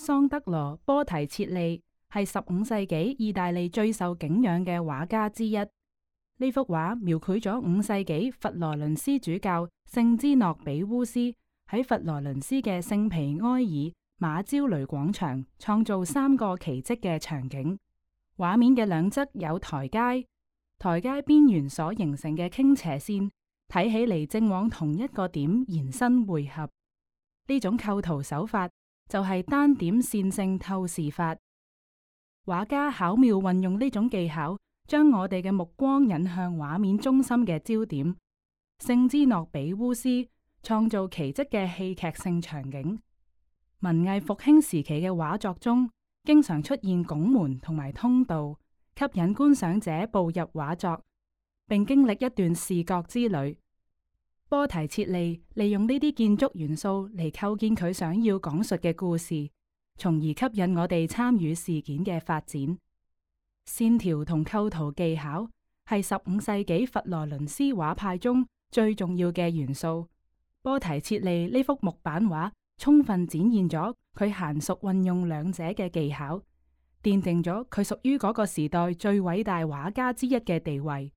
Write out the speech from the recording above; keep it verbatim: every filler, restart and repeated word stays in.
桑德羅·波提切利係十五世紀意大利最受敬仰嘅畫家之一。呢幅畫描繪咗五世紀佛羅倫斯主教聖芝諾比烏斯喺佛羅倫斯嘅聖皮埃爾馬焦雷廣場創造三個奇蹟嘅場景。畫面嘅兩側有台階，台階邊緣所形成嘅傾斜線睇起嚟正往同一個點延伸匯合。呢種構圖手法就係單點線性透視法。畫家巧妙運用呢種技巧，將我哋嘅目光引向畫面中心嘅焦點。聖芝諾比烏斯創造奇蹟嘅戲劇性場景。文藝復興時期嘅畫作中，經常出現拱門同埋通道，吸引觀賞者步入畫作，並經歷一段視覺之旅。波提切利利用呢啲建築元素嚟構建佢想要講述嘅故事，從而吸引我哋參與事件嘅發展。線條同構圖技巧係十五世紀佛羅倫斯畫派中最重要嘅元素。波提切利呢幅木板畫充分展現咗佢嫻熟運用兩者嘅技巧，奠定咗佢屬於嗰個時代最偉大畫家之一嘅地位。